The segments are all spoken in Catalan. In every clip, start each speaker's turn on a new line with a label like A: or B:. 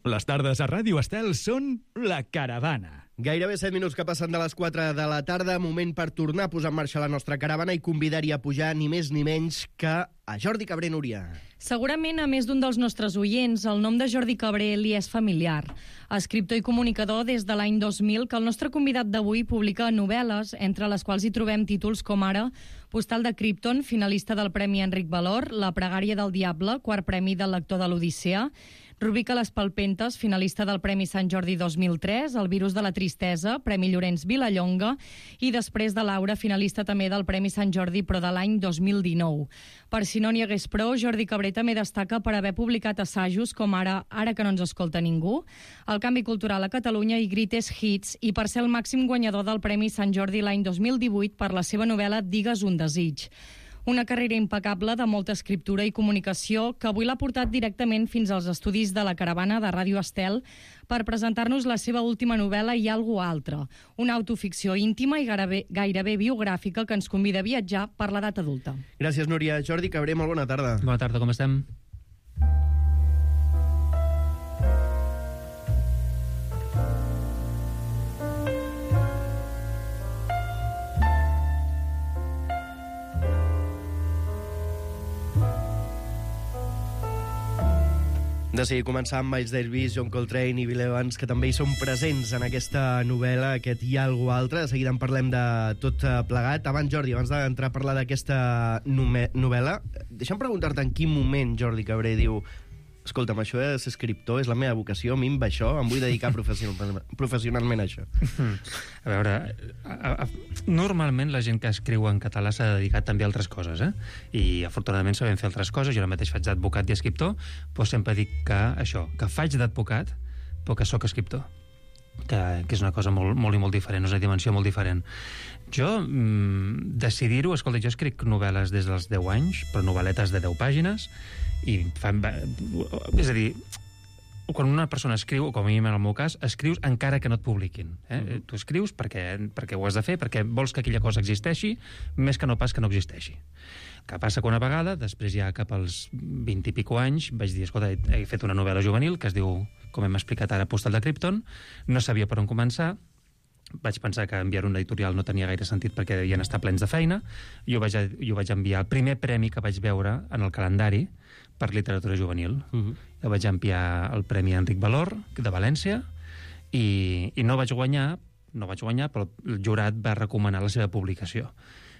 A: Les tardes a Ràdio Estel són La Caravana.
B: Gairebé 7 minuts que passen de les 4 de la tarda, moment per tornar a posar en marxa la nostra caravana i convidar-hi a pujar ni més ni menys que a Jordi Cabré Núria.
C: Segurament a més d'un dels nostres oients el nom de Jordi Cabré li és familiar. Escriptor i comunicador des de l'any 2000 que el nostre convidat d'avui publica novel·les, entre les quals hi trobem títols com ara Postal de Krypton, finalista del Premi Enric Valor, La pregària del diable, quart premi del lector de l'Odissea, Rubica les palpentes, finalista del Premi Sant Jordi 2003, El virus de la tristesa, Premi Llorenç Vilallonga, i després de Laura, finalista també del Premi Sant Jordi, però de l'any 2019. Per si no n'hi hagués prou, Jordi Cabré també destaca per haver publicat assajos com Ara que no ens escolta ningú, El canvi cultural a Catalunya i Greatest Hits, i per ser el màxim guanyador del Premi Sant Jordi l'any 2018 per la seva novel·la Digues un desig. Una carrera impecable de molta escriptura i comunicació que avui l'ha portat directament fins als estudis de la Caravana de Ràdio Estel per presentar-nos la seva última novel·la I algú altre, una autoficció íntima i gairebé biogràfica que ens convida a viatjar per l'edat adulta.
B: Gràcies, Núria. Jordi Cabré, molt bona tarda.
D: Bona tarda, com estem?
B: De seguir començar amb Miles Davis, John Coltrane i Bill Evans, que també hi són presents en aquesta novel·la, aquest Hi ha algú altre. De seguida en parlem de tot plegat. Abans, Jordi, abans d'entrar a parlar d'aquesta novel·la, deixa'm preguntar-te en quin moment Jordi Cabré diu: escolta'm, això de ser escriptor és la meva vocació, a mi em va això, em vull dedicar professionalment a això.
D: A veure, normalment la gent que escriu en català s'ha dedicat també a altres coses, i afortunadament sabem fer altres coses. Jo ara mateix faig d'advocat i escriptor, però sempre dic que això, que faig d'advocat, però que sóc escriptor, que és una cosa molt, molt i molt diferent, és una dimensió molt diferent. Jo, decidir-ho, escolta, jo escric novel·les des dels 10 anys, però novel·letes de 10 pàgines, és a dir, quan una persona escriu, o com a mi en el meu cas, escrius encara que no et publiquin. Tu escrius perquè ho has de fer, perquè vols que aquella cosa existeixi, més que no pas que no existeixi. Que passa que una vegada, després ja cap als 20 i pico anys, vaig dir, escolta, he fet una novel·la juvenil que es diu, com hem explicat ara, Postal de Krypton, no sabia per on començar, vaig pensar que enviar un editorial no tenia gaire sentit perquè devien estar plens de feina, i ho vaig enviar. El primer premi que vaig veure en el calendari per literatura juvenil. Jo vaig enviar el Premi Enric Valor de València i no vaig guanyar, però el jurat va recomanar la seva publicació.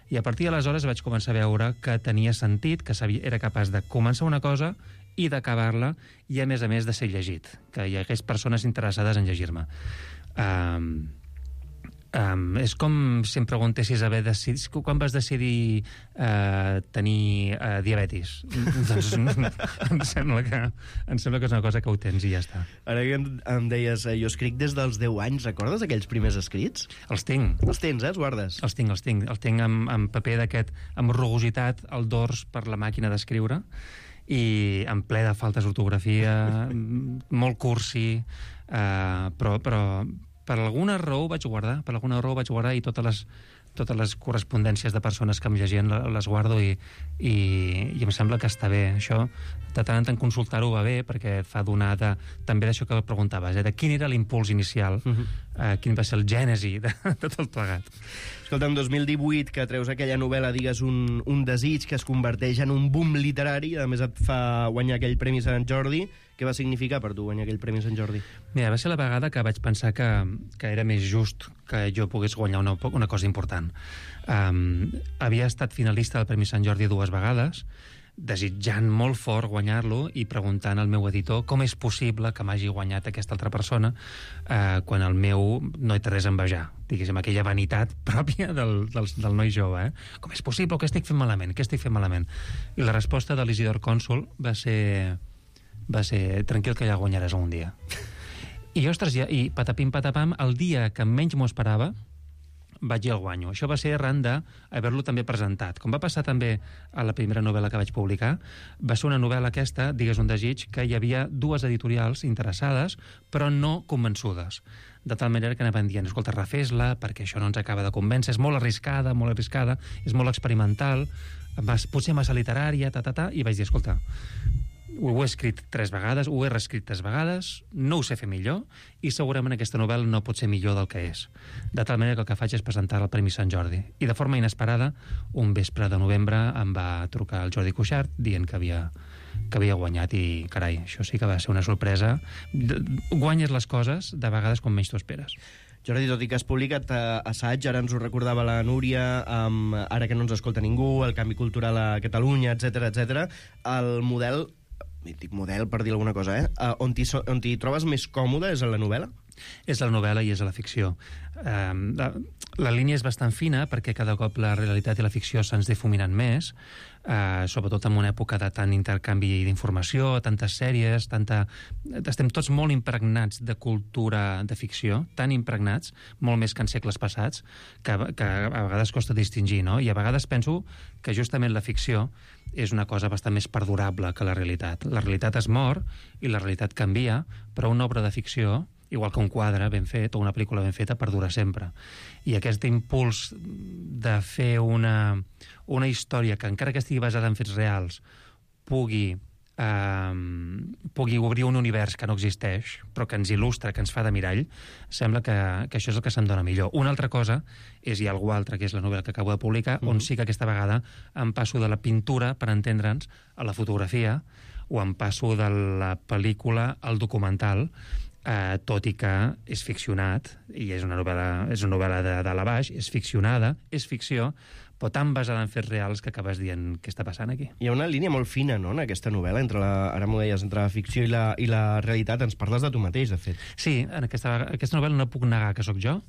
D: I a partir d'aleshores vaig començar a veure que tenia sentit, que era capaç de començar una cosa i d'acabar-la, i a més de ser llegit, que hi hagués persones interessades en llegir-me. És com si em preguntessis quan vas decidir tenir diabetis. Doncs em sembla que és una cosa que ho tens i ja està.
B: Ara que em deies, jo escric des dels 10 anys, recordes aquells primers escrits?
D: Els tinc.
B: Els tens, els guardes?
D: Els tinc amb paper d'aquest, amb rugositat al dors per la màquina d'escriure, i en ple de faltes d'ortografia, molt cursi, però per alguna raó ho vaig guardar, i totes les correspondències de persones que em llegien les guardo, i em sembla que està bé. Això, de tant en tant consultar-ho va bé, perquè et fa donar també d'això que preguntaves, de quin era l'impuls inicial, quin va ser el gènesi de tot plegat.
B: Escolta, en 2018, que treus aquella novel·la, Digues un desig, que es converteix en un boom literari, a més et fa guanyar aquell Premi Sant Jordi. Què va significar per tu guanyar aquell Premi Sant Jordi?
D: Mira, va ser la vegada que vaig pensar que era més just que jo pogués guanyar una cosa important. Havia estat finalista del Premi Sant Jordi 2 vegades, desitjant molt fort guanyar-lo i preguntant al meu editor com és possible que m'hagi guanyat aquesta altra persona, quan el meu no hi té res a envejar, diguéssim, aquella vanitat pròpia del noi jove. Com és possible? Què estic fent malament? I la resposta de l'Isidor Cònsol va ser tranquil, que ja guanyaràs un dia. I ostres, i patapim patapam, el dia que menys m'ho esperava vaig i el guanyo. Això va ser arran d'haver-lo també presentat. Com va passar també a la primera novel·la que vaig publicar, va ser una novel·la aquesta, Digues un desig, que hi havia 2 editorials interessades, però no convençudes. De tal manera que anaven dient, escolta, refés-la, perquè això no ens acaba de convèncer, és molt arriscada, és molt experimental, potser massa literària, i vaig dir, escolta, Ho he escrit 3 vegades, ho he reescrit 3 vegades, no ho sé fer millor, i segurament aquesta novel·la no pot ser millor del que és. De tal manera que el que faig és presentar al Premi Sant Jordi. I de forma inesperada, un vespre de novembre em va trucar el Jordi Cuixart dient que havia guanyat i, carai, això sí que va ser una sorpresa. Guanyes les coses de vegades com menys t'ho esperes.
B: Jordi, tot i que has publicat assaig, ara ens ho recordava la Núria, ara que no ens escolta ningú, el canvi cultural a Catalunya, etc, el model, dic model per dir alguna cosa, on t'hi trobes més còmode és en la novel·la?
D: És la novel·la i és a la ficció. La línia és bastant fina perquè cada cop la realitat i la ficció se'ns difuminen més, sobretot en una època de tant intercanvi d'informació, tantes sèries, estem tots molt impregnats de cultura de ficció, tan impregnats, molt més que en segles passats, que a vegades costa distingir, no? I a vegades penso que justament la ficció és una cosa bastant més perdurable que la realitat. La realitat es mor i la realitat canvia, però una obra de ficció, igual que un quadre ben fet o una pel·lícula ben feta, perdura sempre. I aquest impuls de fer una història que, encara que estigui basada en fets reals, pugui obrir un univers que no existeix, però que ens il·lustra, que ens fa de mirall, sembla que això és el que se'm dona millor. Una altra cosa és, hi ha algú altre, que és la novel·la que acabo de publicar, on sí que aquesta vegada em passo de la pintura, per entendre'ns, a la fotografia, o em passo de la pel·lícula al documental, tot i que és ficcionat, i és una novel·la de dalt a baix, és ficcionada, és ficció, però tan basada en fets reals que acabes dient què està passant aquí.
B: Hi ha una línia molt fina, no?, en aquesta novel·la, ara m'ho deies, entre la ficció i la realitat. Ens parles de tu mateix, de fet.
D: Sí, en aquesta novel·la no puc negar que sóc jo.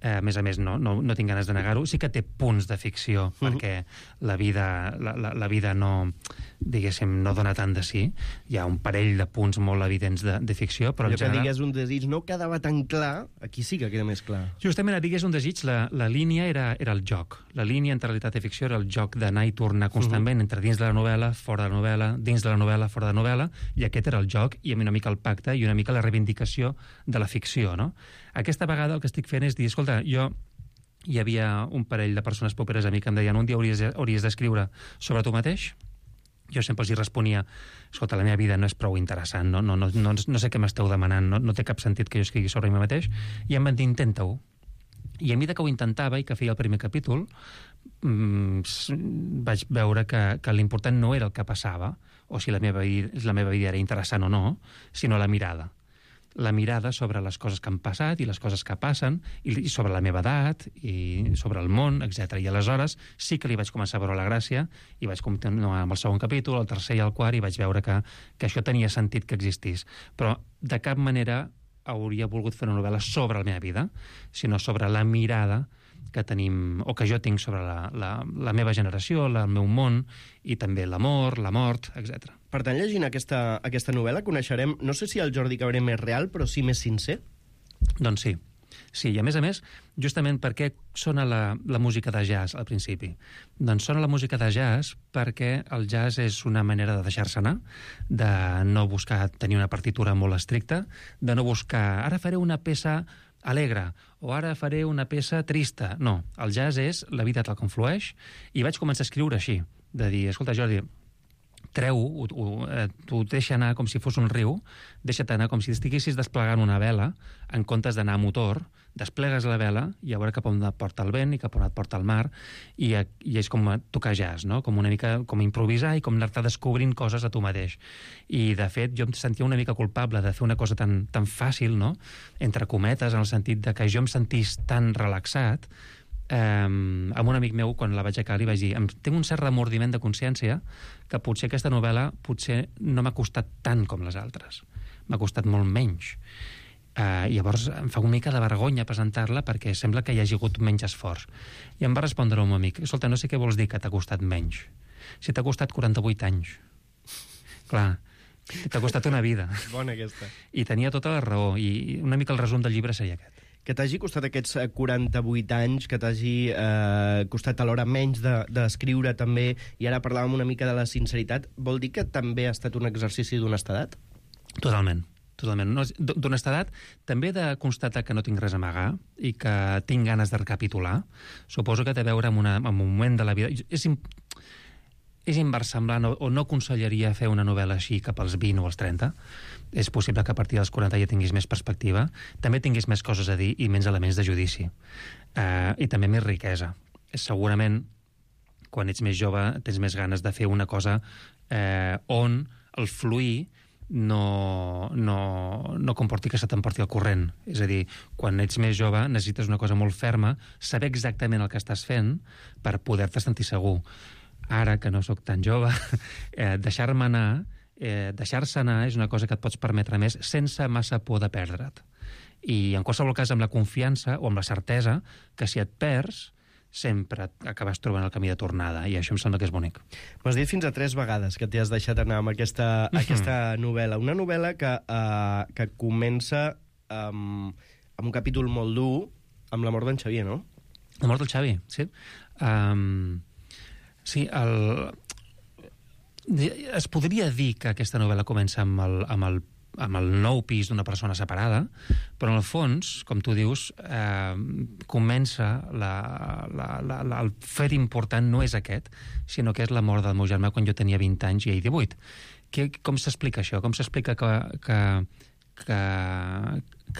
D: A més a més, no tinc ganes de negar-ho. Sí que té punts de ficció, perquè la vida no, diguéssim, no dona tant de sí. Hi ha un parell de punts molt evidents de ficció, però
B: allò
D: en general...
B: que digués un desig no quedava tan clar, aquí sí que queda més clar.
D: Justament a digués un desig, la línia era el joc. La línia entre realitat i ficció era el joc d'anar i tornar constantment entre dins de la novel·la, fora de la novel·la, dins de la novel·la, fora de la novel·la, i aquest era el joc i una mica el pacte i una mica la reivindicació de la ficció, no? Aquesta vegada el que estic fent és dir, escolta, hi havia un parell de persones properes a mi que em deien un dia hauries d'escriure sobre tu mateix. Jo sempre els hi responia, escolta, la meva vida no és prou interessant, no sé què m'esteu demanant, no té cap sentit que jo escrigui sobre mi mateix, i em van dir, intenta-ho. I a mesura que ho intentava i que feia el primer capítol, vaig veure que l'important no era el que passava, o si la meva vida era interessant o no, sinó la mirada. La mirada sobre les coses que han passat i les coses que passen, i sobre la meva edat, i sobre el món, etc. I aleshores sí que li vaig començar a veure la gràcia, i vaig continuar amb el segon capítol, el tercer i el quart, i vaig veure que això tenia sentit que existís. Però de cap manera hauria volgut fer una novel·la sobre la meva vida, sinó sobre la mirada que tenim, o que jo tinc sobre la meva generació, el meu món, i també l'amor, la mort, etc.
B: Per tant, llegint aquesta novel·la coneixerem, no sé si el Jordi Cabré més real, però sí més sincer?
D: Doncs sí. Sí, i a més, justament per què sona la música de jazz al principi? Doncs sona la música de jazz perquè el jazz és una manera de deixar-se anar, de no buscar tenir una partitura molt estricta, de no buscar, ara faré una peça alegre, o ara faré una peça trista. No, el jazz és la vida tal com flueix, i vaig començar a escriure així, de dir, escolta, Jordi, treu-ho, t'ho deixa anar com si fos un riu, deixa't anar com si estiguessis desplegant una vela, en comptes d'anar a motor, desplegues la vela i a veure cap on et porta el vent i cap on et porta el mar, i és com tocar jazz, no? Com una mica com improvisar i com anar-te descobrint coses a tu mateix. I, de fet, jo em sentia una mica culpable de fer una cosa tan fàcil, no? Entre cometes, en el sentit de que jo em sentís tan relaxat. Amb un amic meu, quan la vaig acabar, li vaig dir, tinc un cert remordiment de consciència que potser aquesta novel·la no m'ha costat tant com les altres, m'ha costat molt menys. Llavors em fa una mica de vergonya presentar-la perquè sembla que hi hagi hagut menys esforç. I em va respondre un amic, escolta, no sé què vols dir que t'ha costat menys, si t'ha costat 48 anys. Clar, t'ha costat una vida.
B: Bona aquesta.
D: I tenia tota la raó, i una mica el resum del llibre seria aquest.
B: Que t'hagi costat aquests 48 anys, que t'hagi costat alhora menys d'escriure també, i ara parlàvem una mica de la sinceritat, vol dir que també ha estat un exercici d'honestedat?
D: Totalment. D'honestedat, també de constatar que no tinc res a amagar i que tinc ganes de recapitular. Suposo que té a veure amb un moment de la vida... és inversemblant o no aconsellaria fer una novel·la així cap als 20 o als 30. És possible que a partir dels 40 ja tinguis més perspectiva, també tinguis més coses a dir i menys elements de judici. I també més riquesa. Segurament, quan ets més jove, tens més ganes de fer una cosa on el fluir no comporti que se t'emporti el corrent. És a dir, quan ets més jove necessites una cosa molt ferma, saber exactament el que estàs fent per poder-te sentir segur. Ara, que no sóc tan jove, deixar-me anar, deixar-se anar és una cosa que et pots permetre més sense massa por de perdre't. I en qualsevol cas amb la confiança o amb la certesa que si et perds sempre acabes trobant el camí de tornada, i això em sembla que és bonic.
B: M'has dit fins a 3 vegades que t'hi has deixat anar amb aquesta novel·la. Una novel·la que comença amb un capítol molt dur, amb la mort d'en Xavier, no?
D: La mort del Xavi, sí. Sí, es podria dir que aquesta novel·la comença amb el nou pis d'una persona separada, però en el fons, com tu dius, comença el fet important no és aquest, sinó que és la mort del meu germà quan jo tenia 20 anys i ell 18. Com s'explica això? Com s'explica que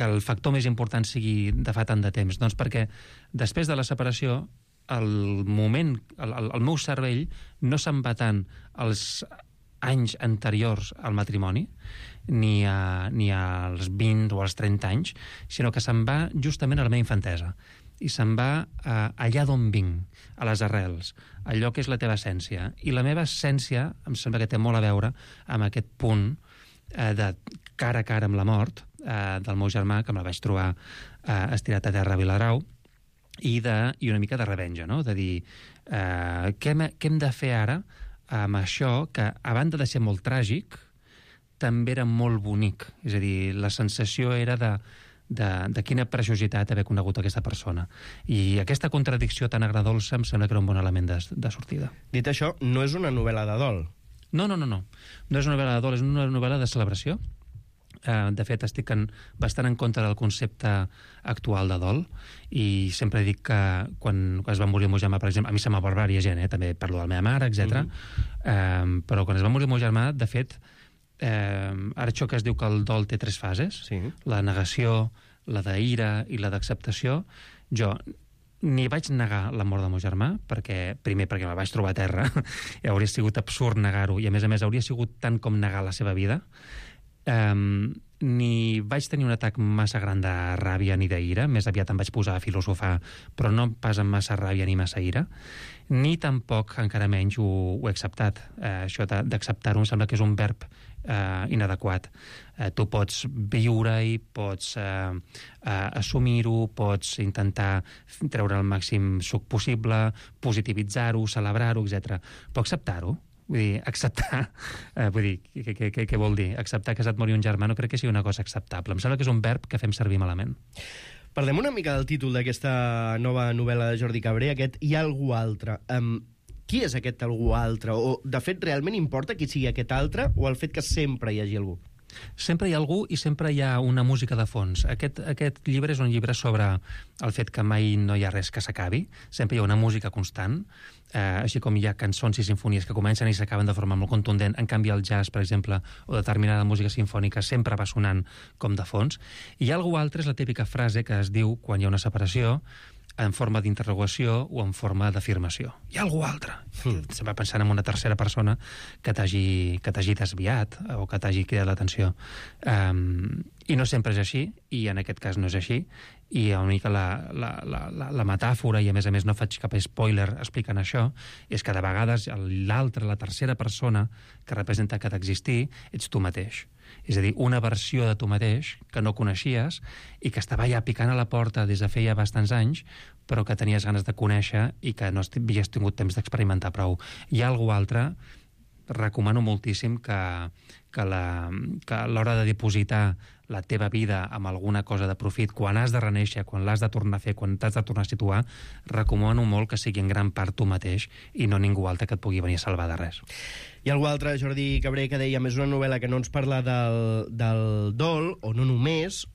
D: el factor més important sigui de fa tant de temps? Doncs perquè després de la separació el meu cervell no se'n va tant als anys anteriors al matrimoni, ni als 20 o als 30 anys, sinó que se'n va justament a la meva infantesa. I se'n va allà d'on vinc, a les arrels, allò que és la teva essència. I la meva essència em sembla que té molt a veure amb aquest punt de cara a cara amb la mort del meu germà, que me la vaig trobar estirat a terra a Viladrau, i una mica de revenja, no? De dir, què hem de fer ara amb això que, a banda de ser molt tràgic, també era molt bonic. És a dir, la sensació era de quina preciositat haver conegut aquesta persona. I aquesta contradicció tan agradolça em sembla que era un bon element de sortida.
B: Dit això, no és una novel·la de dol.
D: No. No és una novel·la de dol, és una novel·la de celebració. De fet, estic bastant en contra del concepte actual de dol, i sempre dic que quan es va morir el meu germà, per exemple, a mi se m'ha barbària gent, també parlo de la meva mare, etc. Però quan es va morir el meu germà, de fet, ara això que es diu que el dol té 3 fases, sí. La negació, la d'ira i la d'acceptació, jo ni vaig negar la mort del meu germà, primer perquè me vaig trobar a terra, i hauria sigut absurd negar-ho, i a més hauria sigut tant com negar la seva vida. Ni vaig tenir un atac massa gran de ràbia ni d'ira, més aviat em vaig posar a filosofar, però no pas amb massa ràbia ni massa ira, ni tampoc, encara menys, ho he acceptat. Això d'acceptar-ho em sembla que és un verb inadequat. Tu pots viure-hi, pots assumir-ho, pots intentar treure el màxim suc possible, positivitzar-ho, celebrar-ho, etc. Però acceptar-ho, vull dir, acceptar, què vol dir? Acceptar que se't mori un germà no crec que sigui una cosa acceptable. Em sembla que és un verb que fem servir malament.
B: Parlem una mica del títol d'aquesta nova novel·la de Jordi Cabré, aquest Hi ha algú altre. Qui és aquest algú altre? O, de fet, realment importa qui sigui aquest altre o el fet que sempre hi hagi algú?
D: Sempre hi ha algú i sempre hi ha una música de fons. Aquest llibre és un llibre sobre el fet que mai no hi ha res que s'acabi. Sempre hi ha una música constant, així com hi ha cançons i sinfonies que comencen i s'acaben de forma molt contundent. En canvi, el jazz, per exemple, o determinada música sinfònica sempre va sonant com de fons. I hi ha algú altre és la típica frase que es diu quan hi ha una separació, en forma d'interrogació o en forma d'afirmació. Hi ha algú altre. Se'n va pensant en una tercera persona que t'hagi desviat o que t'hagi cridat l'atenció. I no sempre és així, i en aquest cas no és així, i una mica la metàfora, i a més no faig cap spoiler explicant això, és que de vegades l'altra, la tercera persona que representa que d'existir, ets tu mateix. És a dir, una versió de tu mateix que no coneixies i que estava ja picant a la porta des de feia bastants anys, però que tenies ganes de conèixer i que no havies tingut temps d'experimentar prou. Hi ha algú altre, recomano moltíssim que a l'hora de dipositar la teva vida amb alguna cosa de profit, quan has de renéixer, quan l'has de tornar a fer, quan t'has de tornar a situar, recomano molt que sigui en gran part tu mateix i no ningú altre que et pugui venir a salvar de res.
B: Hi ha algú altre, Jordi Cabré, que deia, és una novel·la que no ens parla del dol, o no només,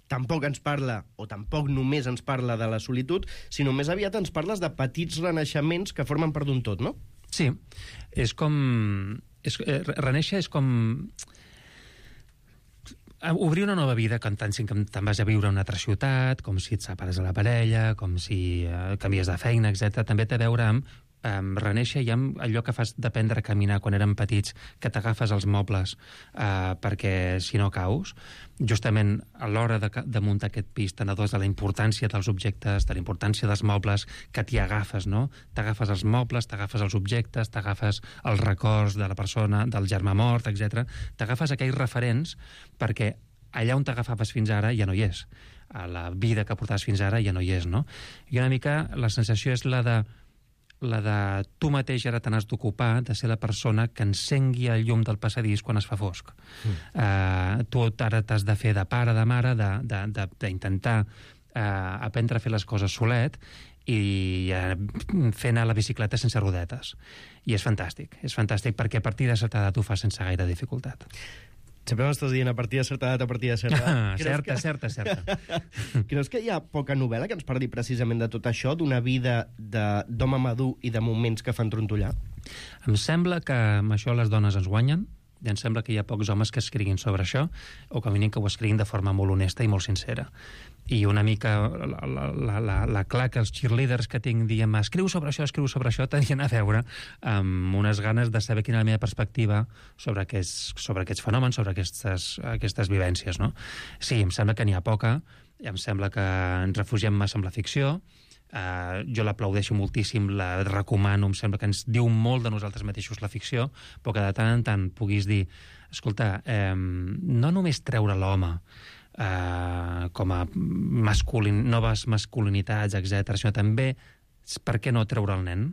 B: tampoc ens parla, o tampoc només ens parla de la solitud, sinó més aviat ens parles de petits renaixements que formen part d'un tot, no?
D: Sí, és com... reneixer és com... obrir una nova vida quan te'n vas a viure a una altra ciutat, com si et separes de la parella, com si canvies de feina, etc. També té a veure amb reneixer i amb allò que fas d'aprendre a caminar quan érem petits, que t'agafes els mobles perquè si no caus. Justament a l'hora de muntar aquest pis t'adones de la importància dels objectes, de la importància dels mobles, que t'hi agafes, no? T'agafes els mobles, t'agafes els objectes, t'agafes els records de la persona, del germà mort, etc. T'agafes aquells referents perquè allà on t'agafaves fins ara ja no hi és. A la vida que portaves fins ara ja no hi és, no? I una mica la sensació és la de tu mateix ara te n'has d'ocupar, de ser la persona que encengui el llum del passadís quan es fa fosc. Tu ara t'has de fer de pare, de mare, d'intentar aprendre a fer les coses solet i fer anar la bicicleta sense rodetes. I és fantàstic perquè a partir de certa edat ho fas sense gaire dificultat.
B: Sempre m'estàs dient a partir de certa edat, a partir de certa edat.
D: Certa.
B: Creus que hi ha poca novel·la que ens parli precisament de tot això, d'una vida d'home madur i de moments que fan trontollar?
D: Em sembla que amb això les dones ens guanyen, i em sembla que hi ha pocs homes que escriguin sobre això, o que a mínim que ho escriguin de forma molt honesta i molt sincera. I una mica la clar que els cheerleaders que tinc dient escriu sobre això, tenien a veure amb unes ganes de saber quina és la meva perspectiva sobre aquests fenòmens, sobre aquestes vivències, no? Sí, em sembla que n'hi ha poca, em sembla que ens refugiem massa en la ficció, jo l'aplaudeixo moltíssim, la recomano, em sembla que ens diu molt de nosaltres mateixos la ficció, però que de tant en tant puguis dir, escolta, no només treure l'home com a noves masculinitats, etc., sinó també, per què no treure el nen?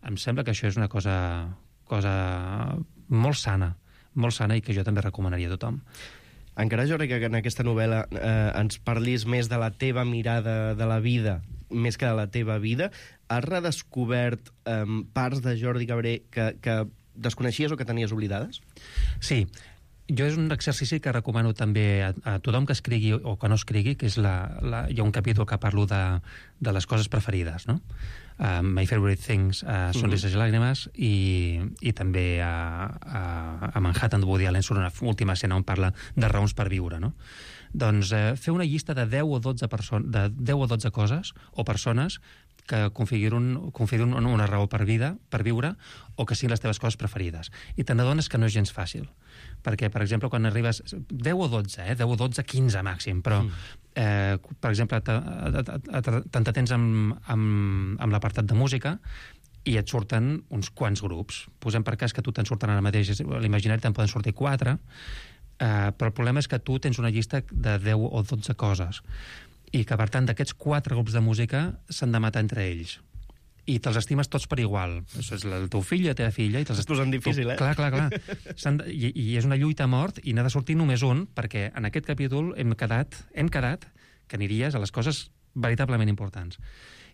D: Em sembla que això és una cosa molt sana i que jo també recomanaria a tothom.
B: Encara jo crec que en aquesta novel·la ens parlis més de la teva mirada de la vida, més que de la teva vida. Has redescobert parts de Jordi Cabré que desconeixies o que tenies oblidades?
D: Sí. Jo és un exercici que recomano també a tothom que escrigui o que no escrigui, que és hi ha un capítol que parlo de les coses preferides, no? My Favorite Things, Sonrises i Làgrimes, i també a Manhattan de Woody Allen surt una última escena on parla de raons per viure, no? Doncs fer una llista de 10 o 12 coses o persones que configurin una raó per viure o que siguin les teves coses preferides. I te n'adones que no és gens fàcil. Perquè, per exemple, quan arribes... 10 o 12, 10 o 12, 15 màxim, però, per exemple, t'entretens amb l'apartat de música i et surten uns quants grups. Posem per cas que tu te'n surten ara mateix, a l'imaginari te'n poden sortir 4, però el problema és que tu tens una llista de 10 o 12 coses i que, per tant, d'aquests 4 grups de música s'han de matar entre ells. I te'ls estimes tots per igual. Això és el teu fill i la teva filla. I
B: es posen difícil,
D: Clar. I és una lluita a mort i n'ha de sortir només un, perquè en aquest capítol hem quedat que aniries a les coses veritablement importants.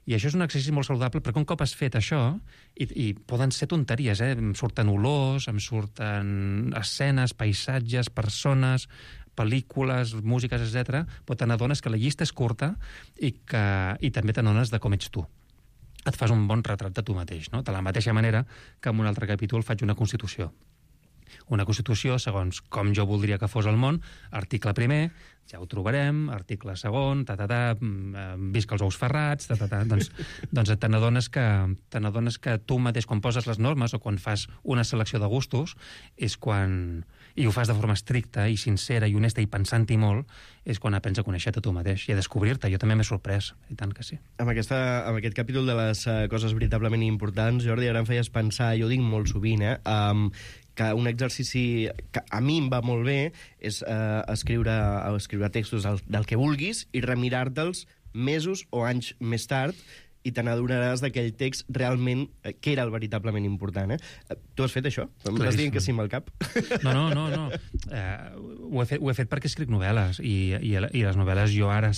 D: I això és un exercici molt saludable, perquè un cop has fet això, i poden ser tonteries, em surten olors, em surten escenes, paisatges, persones, pel·lícules, músiques, etc., però te n'adones que la llista és curta i també te n'adones de com ets tu. Et fas un bon retrat de tu mateix, no? De la mateixa manera que en un altre capítol faig una constitució. Una constitució segons com jo voldria que fos el món, article primer, ja ho trobarem, article segon, visca els ous ferrats, doncs te n'adones que tu mateix, quan poses les normes o quan fas una selecció de gustos, és quan... i ho fas de forma estricta i sincera i honesta i pensant-hi molt, és quan aprens a conèixer-te tu mateix i a descobrir-te. Jo també m'he sorprès, i tant que sí.
B: Amb aquest capítol de les coses veritablement importants, Jordi, ara em feies pensar, jo ho dic molt sovint, que un exercici que a mi em va molt bé és escriure textos del que vulguis i remirar-te'ls mesos o anys més tard i te n'adonaràs d'aquell text realment que era el veritablement important. Tu has fet això? Em estàs dient que sí amb el cap?
D: No. Ho he fet perquè escric novel·les i les novel·les jo ara,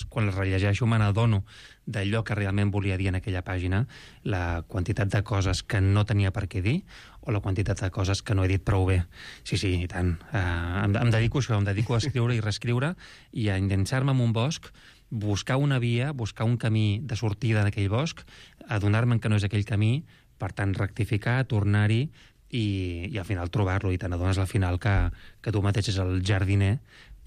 D: quan les rellegeixo, me n'adono d'allò que realment volia dir en aquella pàgina, la quantitat de coses que no tenia per què dir o la quantitat de coses que no he dit prou bé. Sí, i tant. Em dedico a això, em dedico a escriure i reescriure i a endinsar-me en un bosc, buscar una via, buscar un camí de sortida d'aquell bosc, adonar-me'n que no és aquell camí, Per tant, rectificar, tornar-hi i al final trobar-lo, i te n'adones al final que tu mateix és el jardiner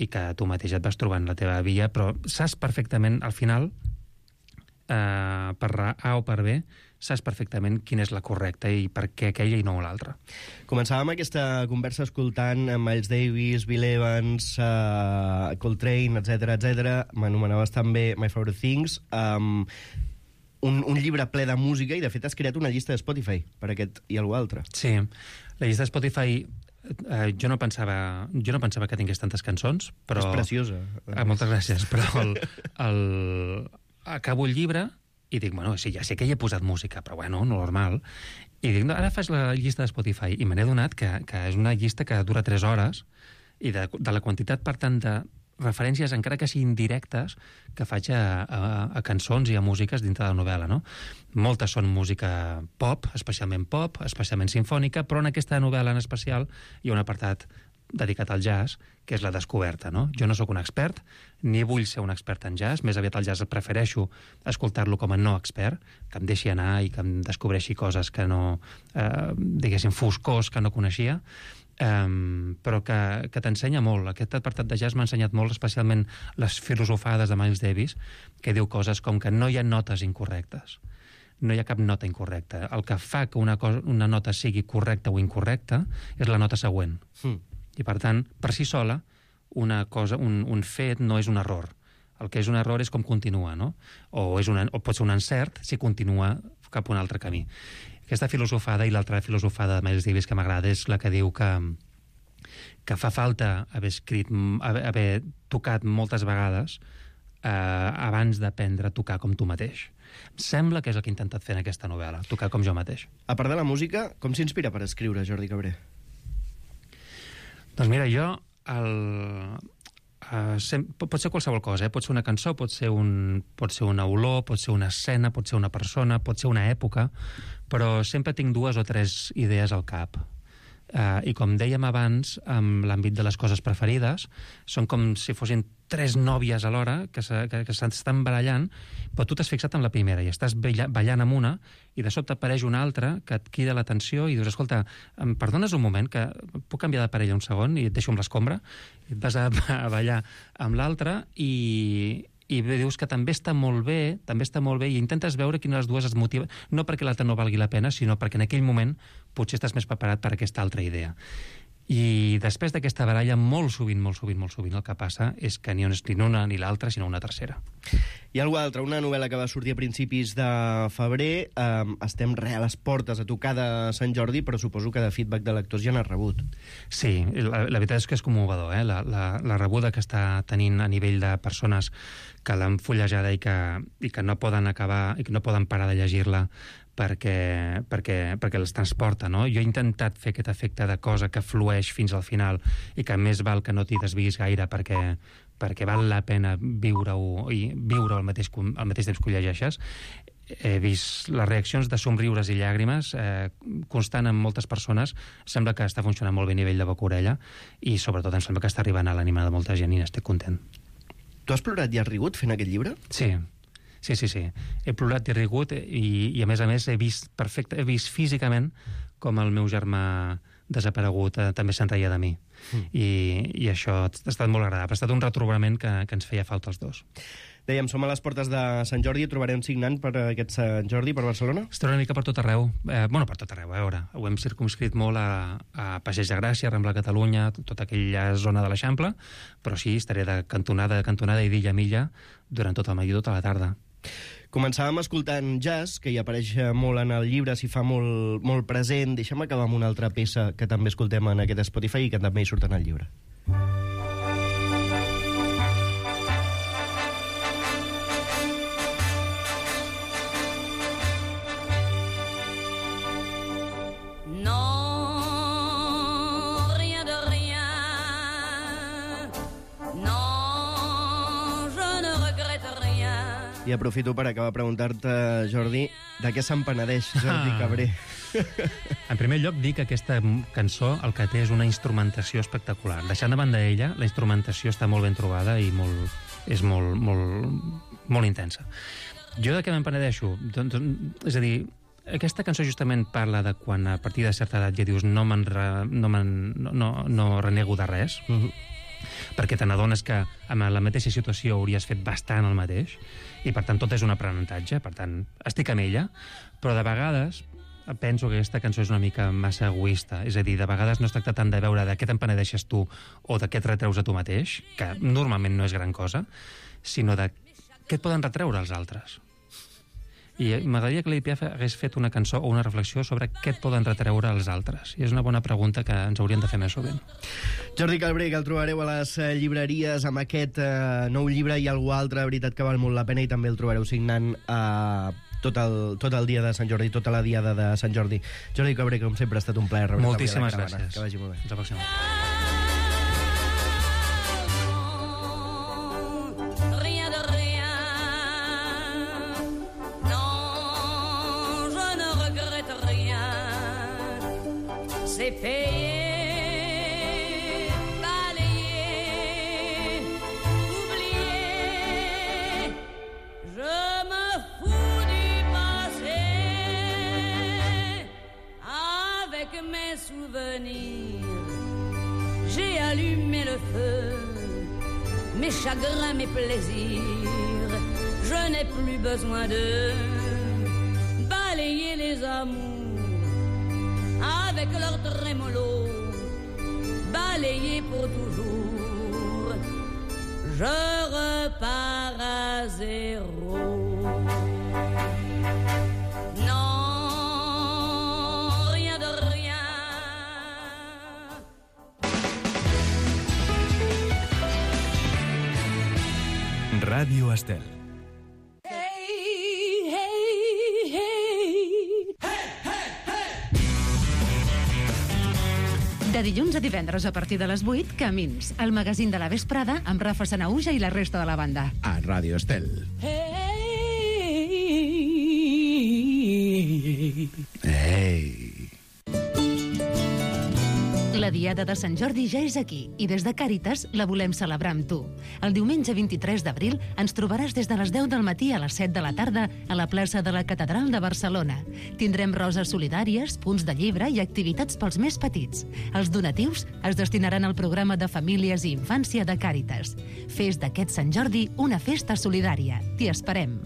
D: i que tu mateix et vas trobant la teva via, però saps perfectament, al final, per A o per B, saps perfectament quina és la correcta i per què aquella i no l'altra.
B: Començàvem aquesta conversa escoltant Miles Davis, Bill Evans, Coltrane, etc. M'anomenaves també My Favorite Things. Un llibre ple de música, i de fet has creat una llista de Spotify per aquest i algú altre.
D: Sí, la llista de Spotify jo no pensava que tingués tantes cançons, però...
B: És preciosa.
D: Moltes gràcies, però acabo el llibre i dic, bueno, sí, ja sé que hi he posat música, però bueno, normal. I dic, no, ara faig la llista de Spotify, i me n'he adonat que és una llista que dura 3 hores, i de la quantitat, per tant, de referències, encara que siguin directes, que faig a cançons i a músiques dintre de la novel·la, no? Moltes són música pop, especialment sinfònica, però en aquesta novel·la en especial hi ha un apartat dedicat al jazz, que és la descoberta, no? Jo no sóc un expert, ni vull ser un expert en jazz, més aviat el jazz prefereixo escoltar-lo com a no expert, que em deixi anar i que em descobreixi coses que no, diguéssim, foscors que no coneixia, però que t'ensenya molt. Aquest apartat de jazz m'ha ensenyat molt, especialment les filosofades de Miles Davis, que diu coses com que no hi ha notes incorrectes. No hi ha cap nota incorrecta. El que fa que una nota sigui correcta o incorrecta és la nota següent. I, per tant, per si sola, una cosa, un fet no és un error. El que és un error és com continua, no? O pot ser un encert si continua cap a un altre camí. Aquesta filosofada i l'altra filosofada de Miles Davis que m'agrada és la que diu que fa falta haver tocat moltes vegades abans d'aprendre a tocar com tu mateix. Em sembla que és el que he intentat fer en aquesta novel·la, tocar com jo mateix.
B: A part de la música, com s'inspira per escriure Jordi Cabré?
D: Doncs mira, jo pot ser qualsevol cosa, pot ser una cançó, pot ser una olor, pot ser una escena, pot ser una persona, pot ser una època, però sempre tinc 2 o 3 idees al cap. I com dèiem abans, amb l'àmbit de les coses preferides, són com si fossin 3 nòvies alhora que s'estan barallant, però tu t'has fixat en la primera i estàs ballant amb una i de sobte apareix una altra que et crida l'atenció i dius, escolta, em perdones un moment, que puc canviar de parella un segon i et deixo amb l'escombra? I et vas a ballar amb l'altra i dius que també està molt bé i intentes veure quina de les dues es motiva, no perquè l'altra no valgui la pena, sinó perquè en aquell moment potser estàs més preparat per a aquesta altra idea. I després d'aquesta baralla, molt sovint, el que passa és que ni una ni l'altra, sinó una tercera.
B: I algú altre, una novel·la que va sortir a principis de febrer, estem a les portes a tocar de Sant Jordi, però suposo que de feedback de lectors ja n'has rebut.
D: Sí, la veritat és que és commovedor, la rebuda que està tenint a nivell de persones que l'han fullejada i que no poden acabar i que no poden parar de llegir-la perquè els transporta, no? Jo he intentat fer aquest efecte de cosa que flueix fins al final i que més val que no t'hi desviguis gaire perquè val la pena viure-ho al mateix temps que ho llegeixes. He vist les reaccions de somriures i llàgrimes constant en moltes persones. Sembla que està funcionant molt bé a nivell de boca-orella i sobretot em sembla que està arribant a l'ànima de molta gent i n'estic content.
B: Tu has plorat i has rigut fent aquest llibre?
D: Sí. He plorat i he rigut i a més he vist físicament com el meu germà desaparegut també se'n reia de mi. I això ha estat molt agradable. Ha estat un retrobament que ens feia falta els dos.
B: Dèiem, som a les portes de Sant Jordi, trobarem signant per aquest Sant Jordi, per Barcelona?
D: Estarà una mica per tot arreu. Per tot arreu, a veure. Ho hem circumscrit molt a Passeig de Gràcia, Rambla Catalunya, tota aquella zona de l'Eixample, però sí, estaré de cantonada i d'illa a milla durant tot el matí i tota la tarda.
B: Començàvem escoltant jazz, que hi apareix molt en el llibre, s'hi fa molt present. Deixa'm acabar amb una altra peça que també escoltem en aquest Spotify i que també hi surt en el llibre. I aprofito per acabar a preguntar-te, Jordi, de què se'n penedeix Jordi Cabré?
D: En primer lloc, dir que aquesta cançó el que té és una instrumentació espectacular. Deixant de banda ella, la instrumentació està molt ben trobada i és molt intensa. Jo de què me'n penedeixo? És a dir, aquesta cançó justament parla de quan a partir de certa edat ja dius no renego de res, perquè te n'adones que en la mateixa situació hauries fet bastant el mateix, i per tant tot és un aprenentatge, per tant estic amb ella, però de vegades penso que aquesta cançó és una mica massa egoista, és a dir, de vegades no es tracta tant de veure de què te'n penedeixes tu o de què et retreus a tu mateix, que normalment no és gran cosa, sinó de què et poden retreure els altres. I m'agradaria que l'Edith Piaf hagués fet una cançó o una reflexió sobre què et poden retreure els altres. I és una bona pregunta que ens hauríem de fer més sovint.
B: Jordi Cabré, que el trobareu a les llibreries amb aquest nou llibre i algú altre, veritat que val molt la pena, i també el trobareu signant tot el dia de Sant Jordi, tota la diada de Sant Jordi. Jordi Cabré, com sempre, ha estat un plaer.
D: Moltíssimes gràcies.
B: Que vagi molt bé.
D: Fins la pròxima.
E: C'est payer, balayer, oublier. Je me fous du passé avec mes souvenirs. J'ai allumé le feu, mes chagrins, mes plaisirs. Je n'ai plus besoin de balayer les amours avec leur trémolo, balayé pour toujours. Je repars à zéro. Non, rien de rien.
A: Ràdio Estel.
F: De dilluns a divendres a partir de les 8, Camins, el magazín de la vesprada amb Rafa Sanahuja i la resta de la banda.
A: A Ràdio Estel. Ei!
F: La Diada de Sant Jordi ja és aquí i des de Càritas la volem celebrar amb tu. El diumenge 23 d'abril ens trobaràs des de les 10 del matí a les 7 de la tarda a la plaça de la Catedral de Barcelona. Tindrem roses solidàries, punts de llibre i activitats pels més petits. Els donatius es destinaran al programa de famílies i infància de Càritas. Fes d'aquest Sant Jordi una festa solidària. T'hi esperem.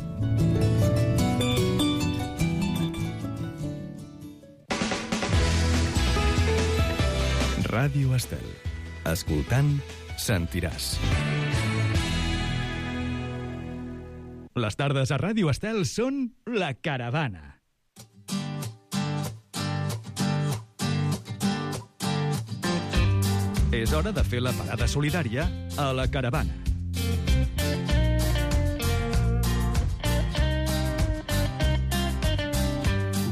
A: Ràdio Estel. Escoltant, sentiràs. Les tardes a Ràdio Estel són La Caravana. És hora de fer la parada solidària a La Caravana.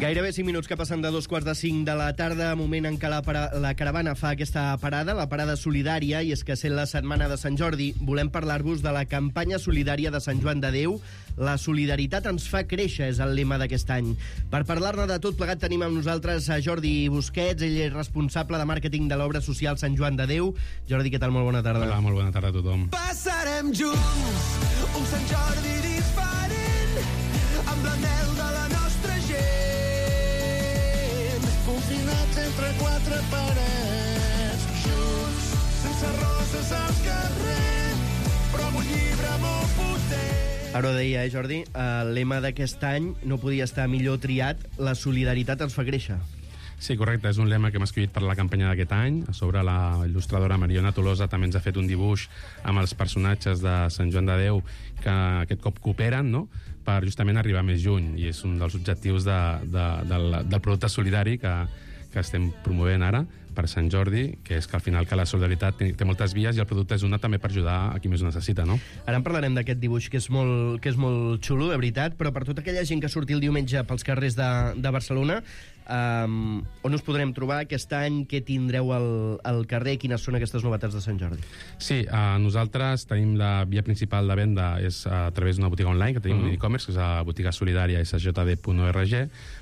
B: Gairebé 5 minuts que passen de 2:45 de la tarda, moment en què la caravana fa aquesta parada, la parada solidària, i és que sent la setmana de Sant Jordi, volem parlar-vos de la campanya solidària de Sant Joan de Déu. La solidaritat ens fa créixer, és el lema d'aquest any. Per parlar-ne de tot plegat tenim amb nosaltres a Jordi Busquets, ell és responsable de màrqueting de l'obra social Sant Joan de Déu. Jordi, què tal? Molt bona tarda.
G: Hola, molt bona tarda a tothom.
H: Passarem junts un Sant Jordi diferent amb l'anel de la nostra gent. Confinats entre quatre parets, junts, sense roses al carrer, però amb un llibre molt potent.
B: Ara ho deia, Jordi, el lema d'aquest any no podia estar millor triat, la solidaritat ens fa créixer.
G: Sí, correcte, és un lema que hem escollit per la campanya d'aquest any. A sobre, la il·lustradora Mariona Tolosa també ens ha fet un dibuix amb els personatges de Sant Joan de Déu que aquest cop cooperen, no?, per justament arribar més lluny, i és un dels objectius del producte solidari que estem promovent ara per Sant Jordi, que és que al final que la solidaritat té moltes vies i el producte és una també per ajudar a qui més ho necessita, no?
B: Ara en parlarem d'aquest dibuix que és molt xulo, de veritat, però per tota aquella gent que surti el diumenge pels carrers de Barcelona, on us podrem trobar aquest any, què tindreu al carrer, quines són aquestes novetats de Sant Jordi?
G: Sí, nosaltres tenim la via principal de venda és a través d'una botiga online, que tenim un e-commerce, que és la botiga solidària sjd.org,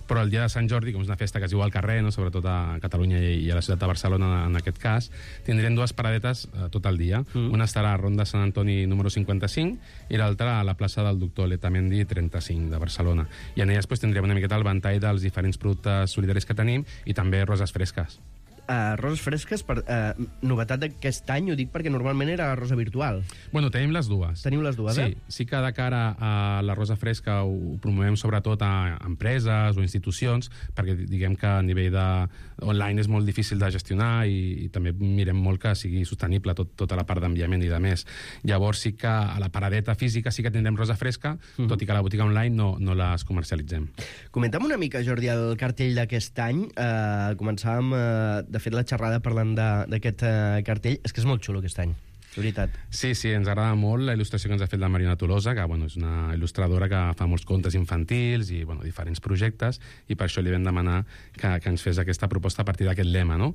G: però el dia de Sant Jordi, com és una festa que es diu al carrer, no?, sobretot a Catalunya i a la ciutat a Barcelona en aquest cas, tindrem dues paradetes tot el dia. Una estarà a Ronda Sant Antoni número 55 i l'altra a la plaça del Doctor Letamendi 35 de Barcelona. I en elles tindrem una miqueta el ventall dels diferents productes solidaris que tenim i també roses fresques.
B: Roses fresques, novetat d'aquest any, ho dic perquè normalment era rosa virtual.
G: Bueno, tenim les dues.
B: Teniu les dues,
G: Sí, sí que de cara a la rosa fresca ho promovem sobretot a empreses o institucions, perquè diguem que a nivell online és molt difícil de gestionar i també mirem molt que sigui sostenible tota la part d'enviament i de més. Llavors sí que a la paradeta física sí que tindrem rosa fresca, tot i que a la botiga online no les comercialitzem.
B: Comenta'm una mica, Jordi, el cartell d'aquest any. Començàvem, de fet, la xerrada parlant d'aquest cartell. És que és molt xulo aquest any, de veritat.
G: Sí, ens agrada molt la il·lustració que ens ha fet la Mariona Tolosa, que és una il·lustradora que fa molts contes infantils i diferents projectes, i per això li vam demanar que ens fes aquesta proposta a partir d'aquest lema, no?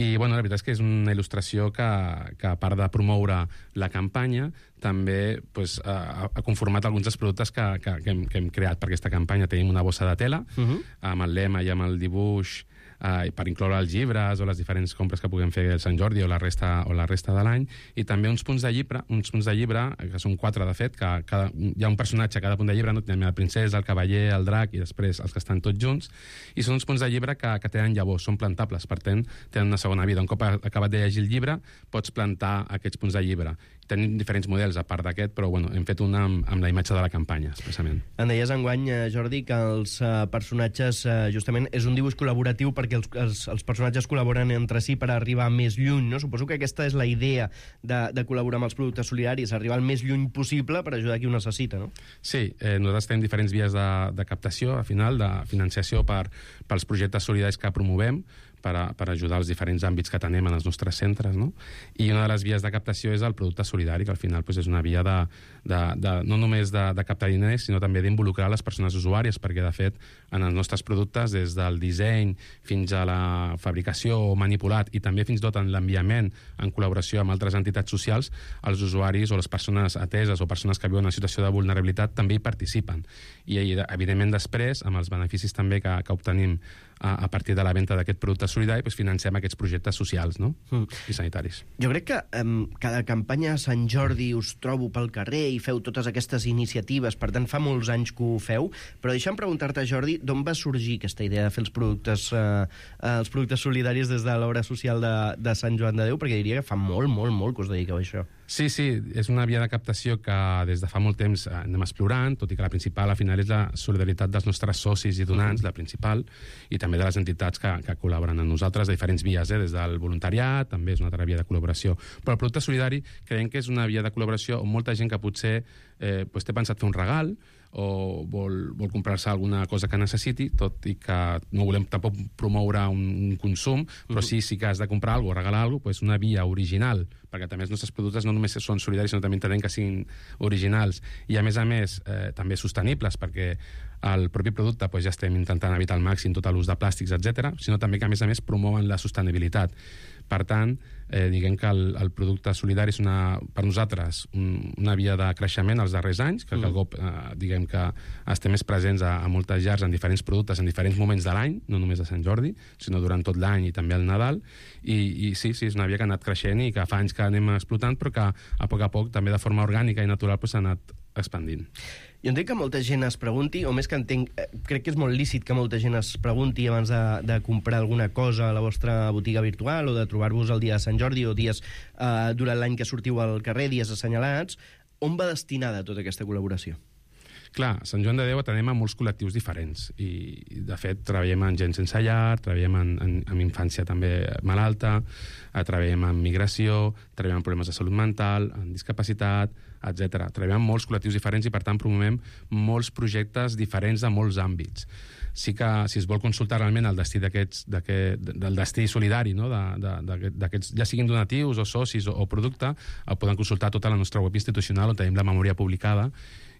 G: I la veritat és que és una il·lustració que a part de promoure la campanya, també ha conformat alguns dels productes que hem creat per aquesta campanya. Tenim una bossa de tela amb el lema i amb el dibuix per incloure els llibres o les diferents compres que puguem fer el Sant Jordi o la resta de l'any, i també uns punts de llibre, que són 4 de fet, que hi ha un personatge a cada punt de llibre, no? Tenim la princesa, el cavaller, el drac i després els que estan tots junts, i són uns punts de llibre que tenen llavors, són plantables, per tant tenen una segona vida. Un cop acabat de llegir el llibre pots plantar aquests punts de llibre. Tenim diferents models a part d'aquest, però hem fet una amb la imatge de la campanya, expressament.
B: En deies enguany, Jordi, que els personatges, justament, és un dibuix col·laboratiu perquè els personatges col·laboren entre si per arribar més lluny, no? Suposo que aquesta és la idea de col·laborar amb els productes solidaris, arribar el més lluny possible per ajudar qui ho necessita, no?
G: Sí, nosaltres tenim diferents vies de captació, al final, de financiació pels projectes solidaris que promovem, per ajudar els diferents àmbits que tenem en els nostres centres, no? I una de les vies de captació és el producte solidari, que al final és una via no només de captar diners, sinó també d'involucrar les persones usuàries, perquè, de fet, en els nostres productes, des del disseny fins a la fabricació manipulat i també fins i tot en l'enviament en col·laboració amb altres entitats socials, els usuaris o les persones ateses o persones que viuen en situació de vulnerabilitat també hi participen. I, evidentment, després, amb els beneficis també que obtenim a partir de la venda d'aquest producte solidari, financem aquests projectes socials, no? I sanitaris.
B: Jo crec que cada campanya a Sant Jordi us trobo pel carrer i feu totes aquestes iniciatives, per tant fa molts anys que ho feu, però deixa'm preguntar-te, Jordi, d'on va sorgir aquesta idea de fer els productes solidaris des de l'obra social de Sant Joan de Déu? Perquè diria que fa molt que us dediqueu a això.
G: Sí, és una via de captació que des de fa molt temps anem explorant, tot i que la principal, al final, és la solidaritat dels nostres socis i donants, la principal, i també de les entitats que col·laboren amb nosaltres de diferents vies, des del voluntariat, també és una altra via de col·laboració. Però el producte solidari creiem que és una via de col·laboració on molta gent que potser té pensat fer un regal o vol comprar-se alguna cosa que necessiti, tot i que no volem tampoc promoure un consum, però sí que has de comprar alguna cosa o regalar alguna cosa, una via original, perquè també els nostres productes no només són solidaris, sinó també entenem que siguin originals i, a més, també sostenibles, perquè el propi producte ja estem intentant evitar al màxim tot l'ús de plàstics, etc., sinó també que, a més, promouen la sostenibilitat. Per tant, diguem que el producte solidari és per nosaltres una via de creixement als darrers anys, que el cop diguem que estem més presents a moltes llars en diferents productes en diferents moments de l'any, no només a Sant Jordi, sinó durant tot l'any i també al Nadal, i sí, és una via que ha anat creixent i que fa anys que anem explotant, però que a poc, també de forma orgànica i natural, s'ha anat expandint.
B: Jo entenc que molta gent es pregunti, o més que entenc, crec que és molt lícit que molta gent es pregunti abans de comprar alguna cosa a la vostra botiga virtual o de trobar-vos el dia de Sant Jordi o dies durant l'any que sortiu al carrer, dies assenyalats, on va destinada tota aquesta col·laboració?
G: Clar, a Sant Joan de Déu atenem a molts col·lectius diferents i, de fet, treballem amb gent sense llar, treballem amb infància també malalta, treballem amb migració, treballem amb problemes de salut mental, amb discapacitat, etc. Treballem amb molts col·lectius diferents i, per tant, promovem molts projectes diferents de molts àmbits. Sí que, si es vol consultar realment el destí del destí solidari, no? d'aquests, ja siguin donatius o socis o producte, poden consultar tota la nostra web institucional on tenim la memòria publicada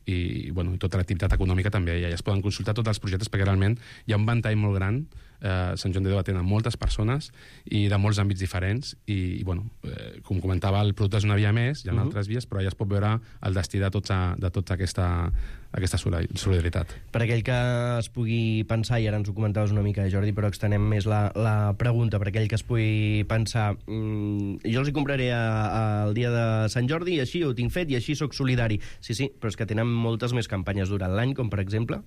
G: i tota l'activitat econòmica també. Ja es poden consultar tots els projectes perquè realment hi ha un ventall molt gran Sant Joan de Déu atén a moltes persones i de molts àmbits diferents i bueno, com comentava, el producte és una via més, hi ha altres vies, però ja es pot veure el destí de tota aquesta solidaritat.
B: Per aquell que es pugui pensar, i ara ens ho comentaves una mica, Jordi, però extenem més la pregunta, per aquell que es pugui pensar, jo els hi compraré el dia de Sant Jordi i així ho tinc fet i així sóc solidari. Sí, però és que tenen moltes més campanyes durant l'any, com per exemple...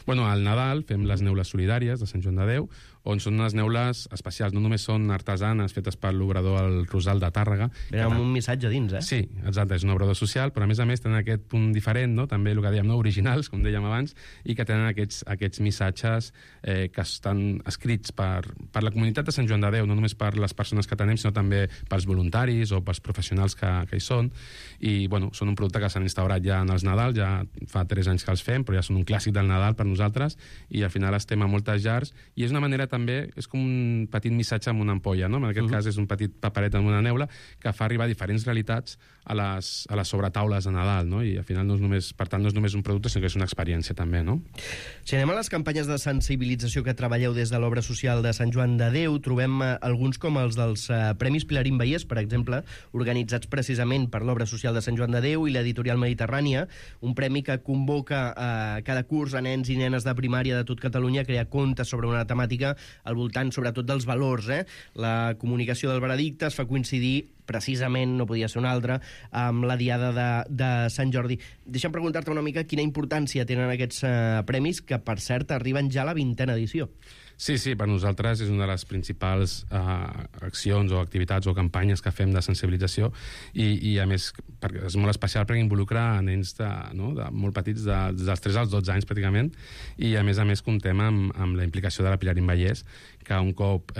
G: Bueno, al Nadal fem les neules solidàries de Sant Joan de Déu, on són unes neules especials, no només són artesanes fetes per l'obrador El Rosal de Tàrrega.
B: Però amb un missatge dins,
G: Sí, exacte, és un obrador social, però a més tenen aquest punt diferent, no? També el que dèiem, no? Originals, com dèiem abans, i que tenen aquests missatges que estan escrits per la comunitat de Sant Joan de Déu, no només per les persones que tenem, sinó també pels voluntaris o pels professionals que hi són. I, bueno, són un producte que s'han instaurat ja en els Nadal, ja fa 3 anys que els fem, però ja són un clàssic del Nadal per nosaltres, i al final estem a moltes llars, i és una manera també, és com un petit missatge amb una ampolla, no? En aquest cas és un petit paperet amb una neula que fa arribar diferents realitats a les sobretaules de Nadal, no? I al final no és només, per tant, no és només un producte, sinó que és una experiència també, no?
B: Si anem a les campanyes de sensibilització que treballeu des de l'obra social de Sant Joan de Déu, trobem alguns com els dels Premis Pilarín Vallès, per exemple, organitzats precisament per l'obra social de Sant Joan de Déu i l'editorial Mediterrània, un premi que convoca cada curs a nens i nenes de primària de tot Catalunya a crear contes sobre una temàtica al voltant, sobretot, dels valors. La comunicació del veredicte es fa coincidir precisament, no podia ser una altra, amb la diada de Sant Jordi. Deixa'm preguntar-te una mica quina importància tenen aquests premis, que, per cert, arriben ja a la 20a edició.
G: Sí, per nosaltres és una de les principals accions o activitats o campanyes que fem de sensibilització i a més, perquè és molt especial perquè involucra nens de molt petits, dels 3 als 12 anys pràcticament, i a més comptem amb la implicació de la Pilarín Vallès, que un cop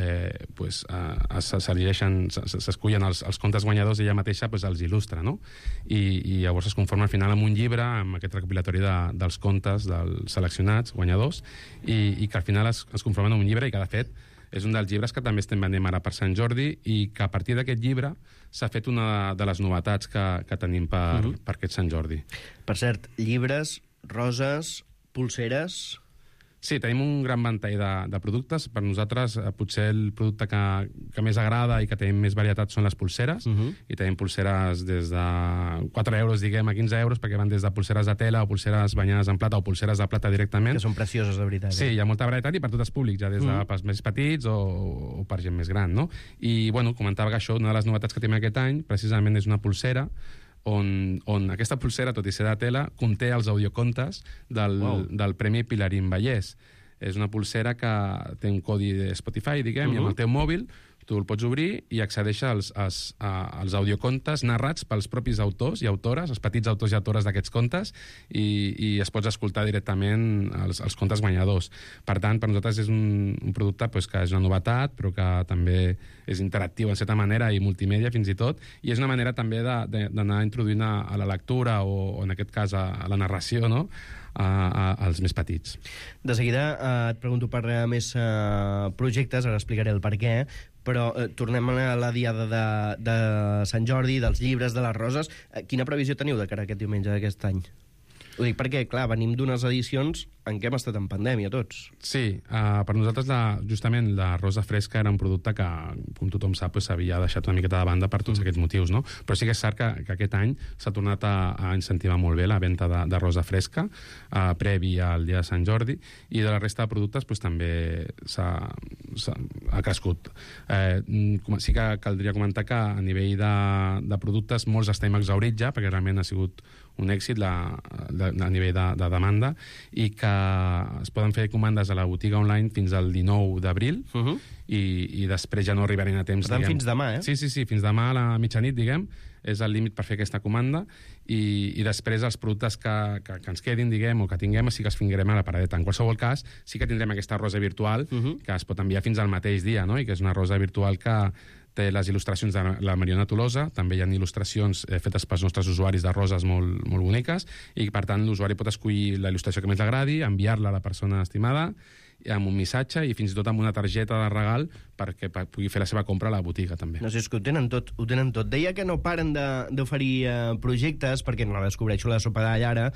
G: s'escullen els contes guanyadors, ella mateixa els il·lustra, no? I llavors es conforma al final amb un llibre, amb aquest recopilatori dels contes dels seleccionats guanyadors, i que al final es conformen en un llibre, i que de fet és un dels llibres que també estem venent ara per Sant Jordi, i que a partir d'aquest llibre s'ha fet una de les novetats que tenim per aquest Sant Jordi.
B: Per cert, llibres, roses, pulseres...
G: Sí, tenim un gran ventall de productes. Per nosaltres, potser el producte que més agrada i que tenim més varietat són les pulseres, i tenim pulseres des de 4 euros, diguem, a 15 euros, perquè van des de pulseres de tela o pulseres banyades en plata o pulseres de plata directament.
B: Que són precioses, de veritat.
G: Sí, hi ha molta varietat i per tots els públics, ja des de pels més petits o per gent més gran, no? I, bueno, comentava que això, una de les novetats que tenim aquest any, precisament és una pulsera on aquesta pulsera, tot i ser de tela, conté els audiocontes del Premi Pilarín Vallès. És una pulsera que té un codi de Spotify, diguem, i amb el teu mòbil tu el pots obrir i accedeixes als audiocontes narrats pels propis autors i autores, els petits autors i autores d'aquests contes, i es pots escoltar directament els contes guanyadors. Per tant, per nosaltres és un producte que és una novetat, però que també és interactiu en certa manera i multimèdia fins i tot, i és una manera també d'anar introduint a la lectura o en aquest cas a la narració, no?, als més petits.
B: De seguida et pregunto per més projectes, ara explicaré el per què, però tornem a la diada de Sant Jordi, dels llibres, de les roses. Quina previsió teniu de cara a aquest diumenge d'aquest any? Ho dic perquè, clar, venim d'unes edicions en què hem estat en pandèmia, tots.
G: Sí, per nosaltres, justament, la rosa fresca era un producte que, com tothom sap, s'havia deixat una miqueta de banda per tots aquests motius, no? Però sí que és cert que aquest any s'ha tornat a incentivar molt bé la venda de rosa fresca, previ al dia de Sant Jordi, i de la resta de productes també ha crescut. Sí que caldria comentar que a nivell de productes molts estem exhaurits ja, perquè realment ha sigut un èxit a nivell de demanda, i que es poden fer comandes a la botiga online fins al 19 d'abril, i després ja no arribaran a temps.
B: Per tant, fins demà,
G: Sí, fins demà a la mitjanit, diguem, és el límit per fer aquesta comanda, i després els productes que ens quedin, diguem, o que tinguem, sí que els fingrem a la paradeta. En qualsevol cas, sí que tindrem aquesta rosa virtual, que es pot enviar fins al mateix dia, no?, i que és una rosa virtual que té les il·lustracions de la Mariona Tolosa, també hi ha il·lustracions fetes pels nostres usuaris de roses molt boniques, i per tant l'usuari pot escollir la il·lustració que més l'agradi, enviar-la a la persona estimada, amb un missatge i fins i tot amb una targeta de regal perquè pugui fer la seva compra a la botiga, també.
B: No sé, és que ho tenen tot. Deia que no paren d'oferir projectes, perquè no la descobreixo la sopa d'all ara.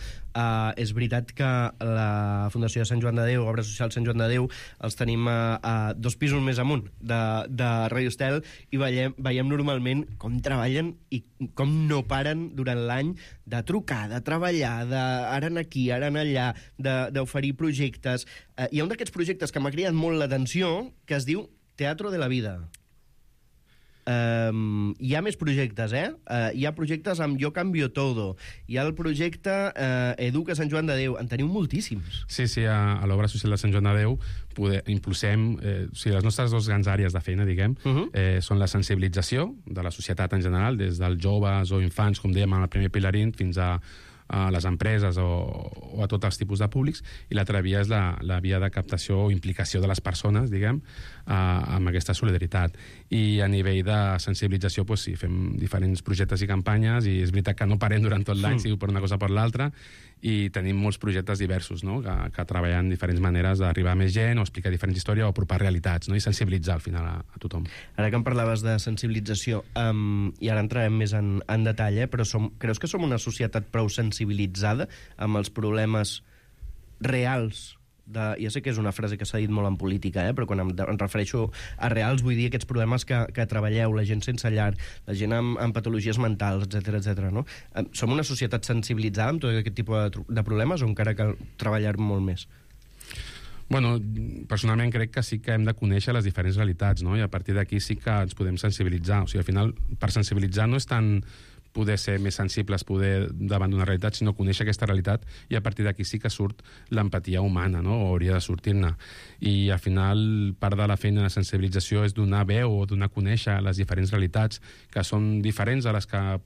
B: És veritat que la Fundació de Sant Joan de Déu, Obra Social Sant Joan de Déu, els tenim a 2 pisos més amunt de Radio Estel, i veiem normalment com treballen i com no paren durant l'any de trucar, de treballar, ara aquí, ara allà, d'oferir projectes. Hi ha un d'aquests projectes que m'ha cridat molt l'atenció, que es diu Teatro de la Vida. Hi ha més projectes, hi ha projectes amb Jo Cambio Todo, hi ha el projecte Educa Sant Joan de Déu, en teniu moltíssims.
G: Sí, a l'Obra Social de Sant Joan de Déu impulsem, les nostres 2 grans àrees de feina, diguem, són la sensibilització de la societat en general, des dels joves o infants, com dèiem, al primer pilarín, fins a les empreses o a tots els tipus de públics, i l'altra via és la via de captació o implicació de les persones, diguem, amb aquesta solidaritat. I a nivell de sensibilització, sí, fem diferents projectes i campanyes, i és veritat que no parem durant tot l'any, sigui per una cosa o per l'altra, i tenim molts projectes diversos, no?, que treballen diferents maneres d'arribar a més gent, o explicar diferents històries, o apropar realitats, no?, i sensibilitzar al final a tothom.
B: Ara que em parlaves de sensibilització, i ara entrarem més en detall, però creus que som una societat prou sensibilitzada amb els problemes reals ja sé que és una frase que s'ha dit molt en política, però quan em refereixo a reals vull dir aquests problemes que treballeu, la gent sense llar, la gent amb patologies mentals, etc., no? Som una societat sensibilitzada amb tot aquest tipus de problemes, o encara cal treballar molt més?
G: Bueno, personalment crec que sí que hem de conèixer les diferents realitats, no? I a partir d'aquí sí que ens podem sensibilitzar. O sigui, al final, per sensibilitzar no és tant poder ser més sensibles davant d'una realitat, sinó conèixer aquesta realitat, i a partir d'aquí sí que surt l'empatia humana, no?, o hauria de sortir-ne. I al final part de la feina de sensibilització és donar veu o donar a conèixer les diferents realitats que són diferents a les que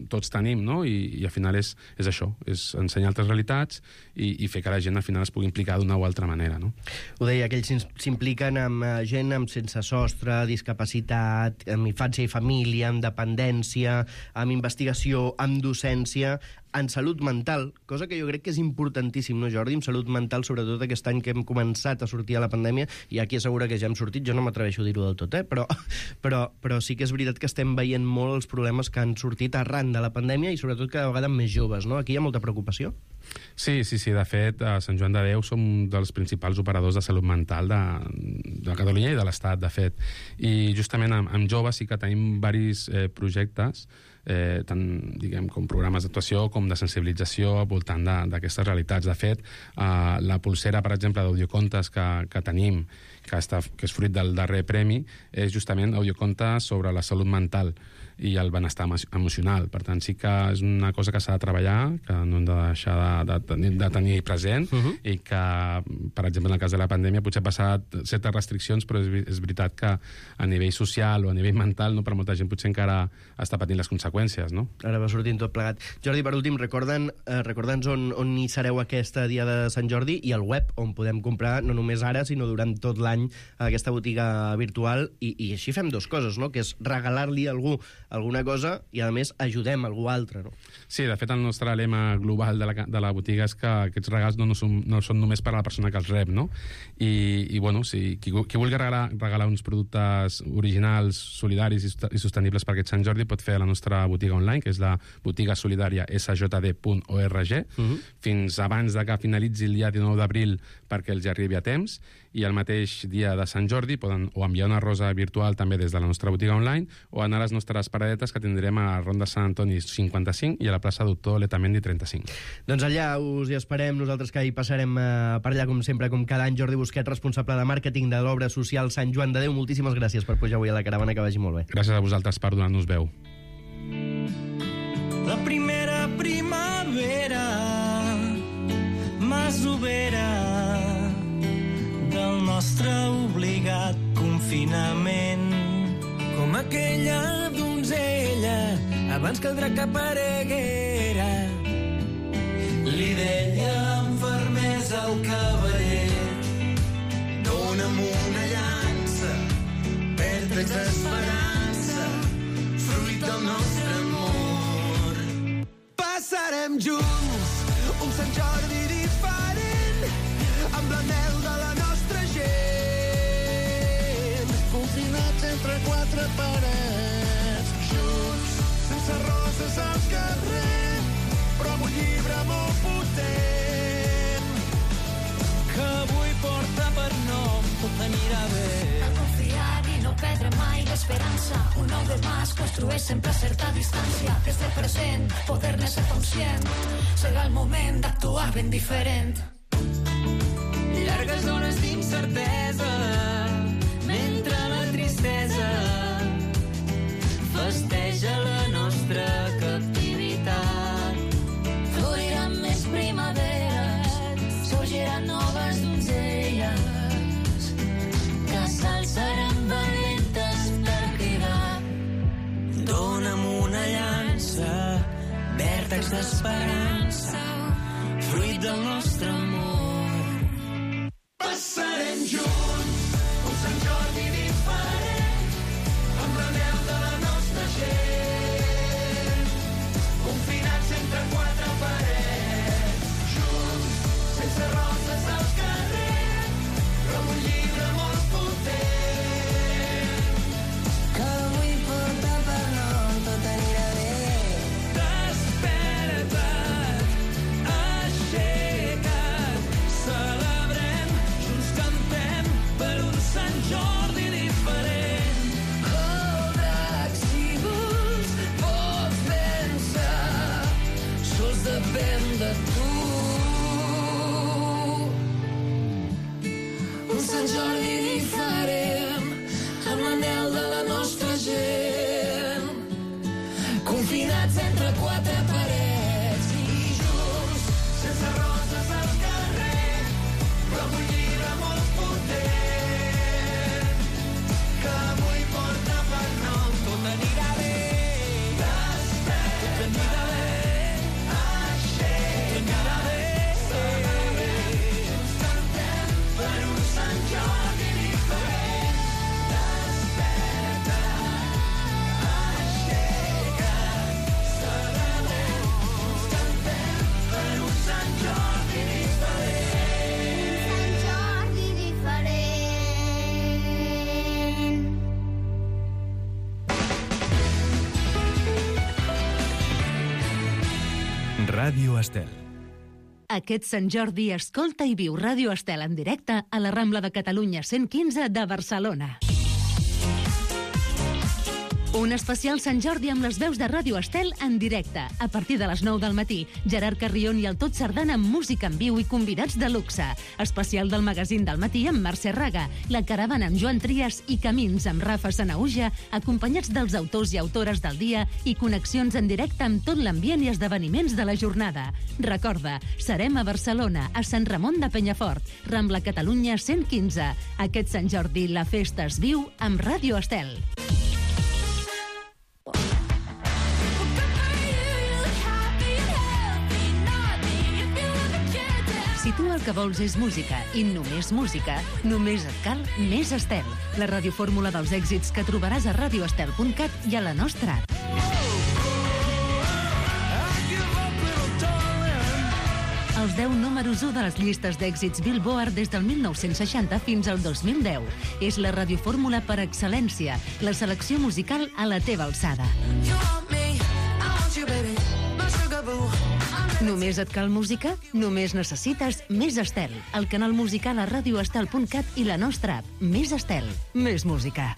G: tots tenim, no? I al final és això, és ensenyar altres realitats i fer que la gent al final es pugui implicar d'una o altra manera, no?
B: Ho deia, que ells s'impliquen amb gent amb sense sostre, discapacitat, amb infància i família, amb dependència, amb investigació, amb docència, en salut mental, cosa que jo crec que és importantíssim, no, Jordi? En salut mental, sobretot aquest any que hem començat a sortir a la pandèmia, i aquí assegura que ja hem sortit, jo no m'atreveixo a dir-ho del tot, però sí que és veritat que estem veient molt els problemes que han sortit arran de la pandèmia, i sobretot cada vegada més joves, no? Aquí hi ha molta preocupació?
G: Sí, de fet, a Sant Joan de Déu som un dels principals operadors de salut mental de Catalunya i de l'Estat, de fet. I justament amb joves sí que tenim diversos projectes, tant, diguem, com programes d'actuació com de sensibilització al voltant d'aquestes realitats. De fet, la pulsera, per exemple, d'audiocontes que tenim, que és fruit del darrer premi, és justament audiocontes sobre la salut mental i el benestar emocional. Per tant, sí que és una cosa que s'ha de treballar, que no hem de deixar de tenir present, i que, per exemple, en el cas de la pandèmia potser ha passat certes restriccions, però és veritat que a nivell social o a nivell mental, no, per molta gent potser encara està patint les conseqüències, no?
B: Ara va sortint tot plegat. Jordi, per últim, recorda'ns on hi sereu aquesta dia de Sant Jordi, i el web, on podem comprar no només ara, sinó durant tot l'any aquesta botiga virtual, i així fem 2 coses, no?, que és regalar-li a algú alguna cosa, i a més ajudem algú altre, no?
G: Sí, de fet el nostre lema global de la botiga és que aquests regals no són només per a la persona que els rep, no? I bueno, si qui vulgui regalar uns productes originals, solidaris i sostenibles per aquest Sant Jordi, pot fer a la nostra botiga online, que és la botiga solidària sjd.org, fins abans de que finalitzi el dia 19 d'abril perquè els arribi a temps, i el mateix dia de Sant Jordi poden o enviar una rosa virtual també des de la nostra botiga online, o anar a les nostres paradetes que tindrem a Ronda Sant Antoni 55 i a la plaça Doctor Letamendi 35.
B: Doncs allà us hi esperem, nosaltres que hi passarem per allà com sempre, com cada any. Jordi Busquet, responsable de màrqueting de l'Obra Social Sant Joan de Déu, moltíssimes gràcies per pujar avui a la caravana, que vagi molt bé.
G: Gràcies a vosaltres per donar-nos veu.
H: La primera primavera masovera del nostre obligat confinament, com aquella donzella abans que el drac apareguera. Li deia amb fermesa al cavaller: dona'm una llança per trets d'esperança, fruit del nostre amor. Passarem junts un Sant Jordi diferent, amb la mel de la nostra gent. confinats entre quatre parets, junts, sense roses al carrer, però amb un llibre molt potent, que avui porta per nom Tot anirà bé.
E: A confiar i no perdre mai l'esperança, un nou demà es construeix sempre a certa distància. Des del present, poder-ne ser conscient, serà el moment d'actuar ben diferent.
I: Llargues hores d'incertesa, mentre la tristesa festeja la nostra captivitat.
E: Floriran més primaveres, sorgiran noves donzelles, que s'alçaran valentes per cridar.
I: Dóna'm una llança, vèrtex d'esperança, fruit del nostre amor.
H: Passarem junts un Sant Jordi diferent, amb l'anhel de la nostra gent, confinats entre quatre parets, junts, sense roses al carrer, però amb un llibre molt potent,
I: Que avui porta per nom Tot anirà bé.
H: Desperta't, aixeca't, celebrem, junts cantem per un Sant Jordi diferent.
E: Cobra, si vols, pots pensar,
H: Sols depèn de tu.
E: un Sant Jordi diferent, amb l'anhel de la nostra gent, confinats entre quatre parets i junts,
H: Sense roses al carrer, però amb un llibre molt potent, que avui porta per nom Tot anirà bé. Desperta't, tot anirà bé. Aixeca't, tot anirà bé. Celebrem, junts cantem per un Sant Jordi diferent. Desperta't, aixeca't, celebrem, junts cantem per un Sant Jordi diferent.
E: Sant Jordi diferent.
A: Ràdio Estel.
F: Aquest Sant Jordi escolta i viu Ràdio Estel en directe a la Rambla de Catalunya 115 de Barcelona. Un especial Sant Jordi amb les veus de Ràdio Estel en directe. A partir de les 9 del matí, Gerard Carrion i el Tot Sardana amb música en viu i convidats de luxe. Especial del magazín del matí amb Mercè Raga, La Caravana amb Joan Trias i Camins amb Rafa Sanauja, acompanyats dels autors i autores del dia i connexions en directe amb tot l'ambient i esdeveniments de la jornada. Recorda, serem a Barcelona, a Sant Ramon de Penyafort, Rambla Catalunya 115. Aquest Sant Jordi la festa es viu amb Ràdio Estel. Si tu el que vols és música i només música, només et cal Més Estel, la radiofórmula dels èxits que trobaràs a radioestel.cat i a la nostra app. Els 10 números 1 de les llistes d'èxits Billboard des del 1960 fins al 2010. És la radiofórmula per excel·lència, la selecció musical a la teva alçada. Només et cal música? Només necessites Més Estel, el canal musical a radioestel.cat i la nostra app. Més Estel, més música.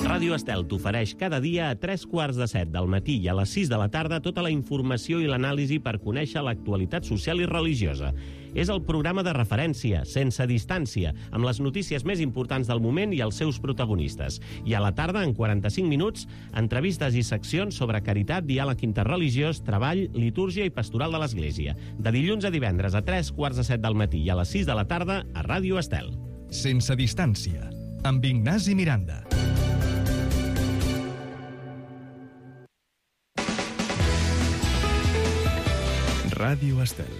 J: Ràdio Estel t'ofereix cada dia a 3:15 del matí i a les 6 de la tarda tota la informació i l'anàlisi per conèixer l'actualitat social i religiosa. És el programa de referència, sense distància, amb les notícies més importants del moment i els seus protagonistes. I a la tarda, en 45 minuts, entrevistes i seccions sobre caritat, diàleg interreligiós, treball, litúrgia i pastoral de l'Església. De dilluns a divendres a 3:15 del matí i a les 6 de la tarda a Ràdio Estel.
A: Sense distància, amb Ignasi Miranda. Ràdio Estel.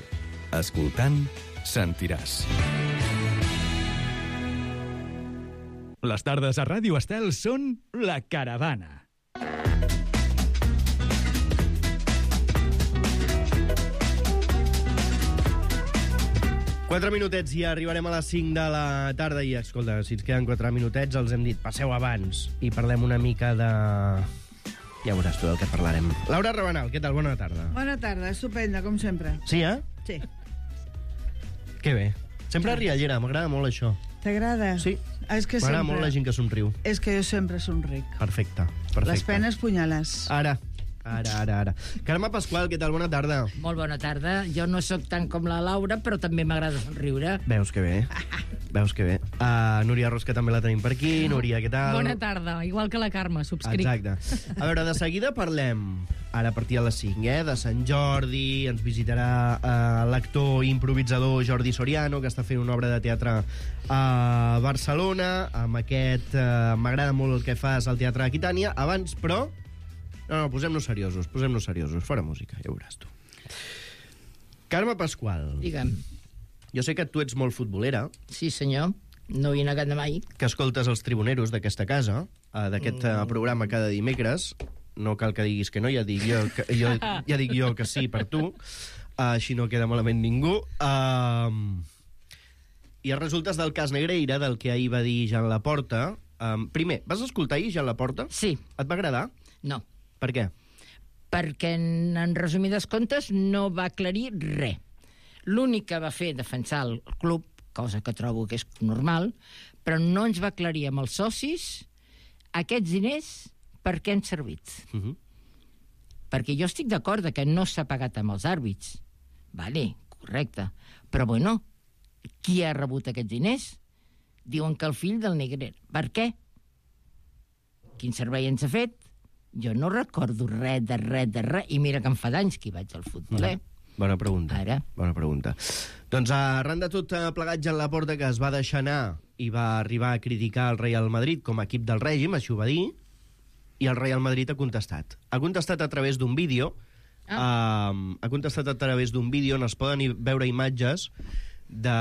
A: Escoltant, sentiràs. Les tardes a Ràdio Estel són La Caravana.
B: 4 minutets i arribarem a les 5 de la tarda i, escolta, si ens queden 4 minutets els hem dit, passeu abans i parlem una mica de... Ja veuràs tu del que parlarem. Laura Rabanal, què tal? Bona tarda.
K: Bona tarda, estupenda, com sempre.
B: Sí, eh?
K: Sí.
B: Que bé. Sempre riallera, m'agrada molt això.
K: T'agrada?
B: Sí.
K: És que
B: M'agrada
K: sempre...
B: molt la gent que somriu.
K: És que jo sempre somric.
B: Perfecte.
K: Les penes punyales.
B: Ara. Carme Pasqual, què tal? Bona tarda.
L: Molt bona tarda. Jo no sóc tant com la Laura, però també m'agrada somriure.
B: Veus que bé. Núria Ros, que també la tenim per aquí. Núria, què tal?
C: Bona tarda, igual que la Carme, subscric.
B: Exacte. A veure, de seguida parlem, ara a partir de les 5, de Sant Jordi, ens visitarà l'actor i improvisador Jordi Soriano, que està fent una obra de teatre a Barcelona, amb aquest m'agrada molt el que fas al Teatre Aquitània. Abans, però... No, posem-nos seriosos, fora música, ja veuràs tu. Carme Pasqual.
L: Digue'm.
B: Jo sé que tu ets molt futbolera.
L: Sí, senyor. No hi he negat mai.
B: Que escoltes els tribuneros d'aquesta casa, d'aquest programa cada dimecres. No cal que diguis que no, ja dic jo que sí per tu. Així no queda malament ningú. I els resultes del cas Negreira, del que ahir va dir Jean Laporta. Primer, vas escoltar ahir Jean Laporta?
L: Sí.
B: Et va agradar?
L: No.
B: Per què?
L: Perquè, en resumides comptes, no va aclarir res. L'únic que va fer defensar el club, cosa que trobo que és normal, però no ens va aclarir amb els socis aquests diners per què han servit. Perquè jo estic d'acord que no s'ha pagat amb els àrbits. Vale, correcte. Però, bueno, qui ha rebut aquests diners? Diuen que el fill del Negrer. Per què? Quin servei ens ha fet? Jo no recordo res. I mira que em fa d'anys que hi vaig al futbol,
B: Bona pregunta.
L: Ara.
B: Bona pregunta. Doncs arran de tot plegat, Jean Laporta, que es va deixar anar i va arribar a criticar el Real Madrid com a equip del règim, així ho va dir, i el Real Madrid ha contestat. Ha contestat a través d'un vídeo. Ha contestat a través d'un vídeo on es poden veure imatges de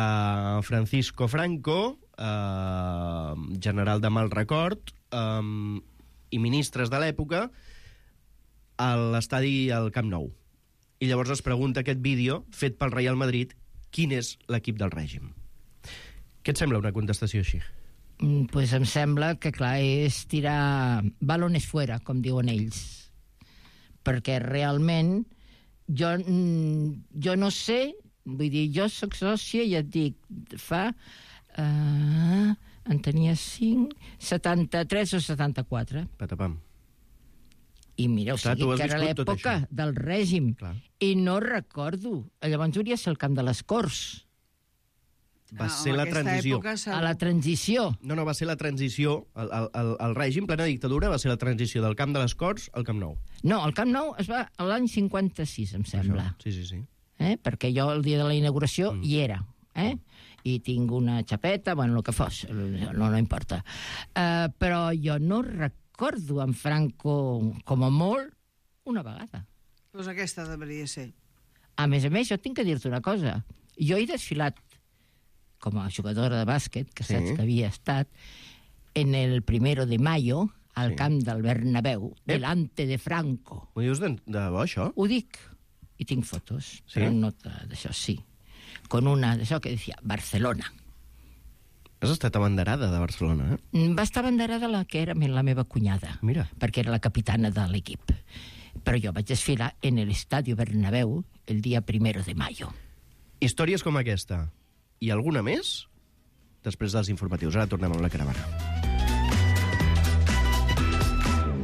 B: Francisco Franco, general de mal record, i ministres de l'època a l'estadi al Camp Nou. I llavors es pregunta aquest vídeo, fet pel Real Madrid, quin és l'equip del règim. Què et sembla una contestació així?
L: Pues em sembla que, clar, és tirar balones fuera, com diuen ells. Perquè realment jo no sé, vull dir, jo soc sòcia i et dic, fa... en tenia 5, 73 o 74.
B: Patapam.
L: I mira, o sigui, que era l'època del règim. Clar. I no recordo. Llavors hauria de ser el camp de les Corts.
B: Va ser la transició.
L: A la transició.
B: No, va ser la transició. El règim, plena dictadura, va ser la transició del camp de les Corts al Camp Nou.
L: No, el Camp Nou es va a l'any 56, em sembla.
B: Això. Sí.
L: Perquè jo el dia de la inauguració hi era. I tinc una xapeta, bueno, el que fos, no importa. Però jo no recordo en Franco, com a molt, una vegada.
K: Doncs aquesta deveria ser.
L: A més, jo tinc que dir-te una cosa. Jo he desfilat com a jugadora de bàsquet, que saps que havia estat, en el 1 de mayo, al camp del Bernabéu, delante de Franco.
B: Ho dius de bo, això?
L: Ho dic, i tinc fotos, però no d'això, sí. Con una d'això que decía Barcelona.
B: Has estat abanderada de Barcelona,
L: Va estar abanderada la que era la meva cunyada.
B: Mira.
L: Perquè era la capitana de l'equip. Però jo vaig desfilar en l'Estadio Bernabéu el dia 1 de mayo.
B: Històries com aquesta i alguna més després dels informatius. Ara tornem amb la caravana.